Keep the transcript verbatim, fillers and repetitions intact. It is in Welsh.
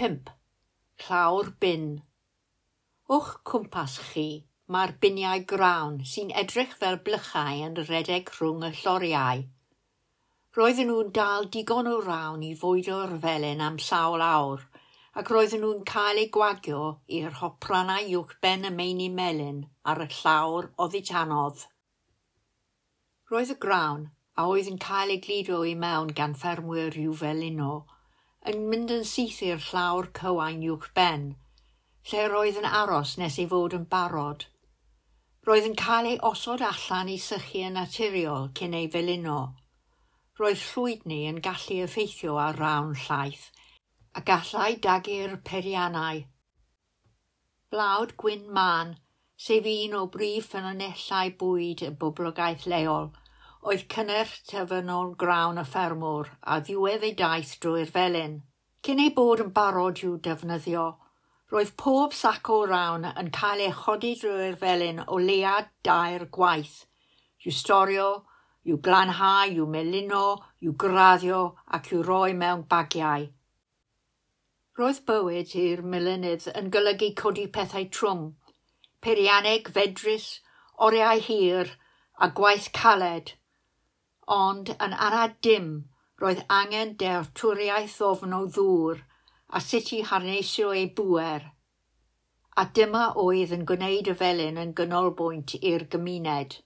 Pump. Llawr bin. O'ch cwmpas chi, mae'r biniau grawn sy'n edrych fel blychau yn rhedeg rhwng y lloriau. Roedden nhw'n dal digon o rawn i fwydo'r felin am sawl awr, ac roedden nhw'n cael eu gwagio i'r hopranau uwchben y meini melyn ar y llawr oddi tanodd. Roedd y grawn, a oedd yn cael ei gludo i mewn gan ffermwyr i'w felino, yn mynd yn syth i'r llawr cywain uwchben, lle roedd yn aros nes ei fod yn barod. Roedd yn cael ei osod allan i sychu yn naturiol cyn ei felino. Roedd llwydni yn gallu effeithio ar rawn llaith, a gallai dagu'r peiriannau. Blawd gwyn mân, sef un o brif ffynonellau bwyd y boblogaeth leol, oedd cynnyrch terfynol grawn y ffermwr a ddiwedd ei daith drwy'r felin. Cyn ei bod yn barod i'w defnyddio, roedd pob sac o rawn yn cael ei chodi drwy'r felin o leia dair gwaith, i'w storio, i'w glanhau, i'w melino, i'w graddio ac i'w roi mewn bagiau. Roedd bywyd i'r melinydd yn golygu codi pethau trwm, peirianneg fedrus, oriau hir a gwaith caled, ond yn anad dim roedd angen dealltwriaeth ddofn o ddŵr a sut i harneisio ei bŵer. A dyma oedd yn gwneud y felin yn ganolbwynt i'r gymuned.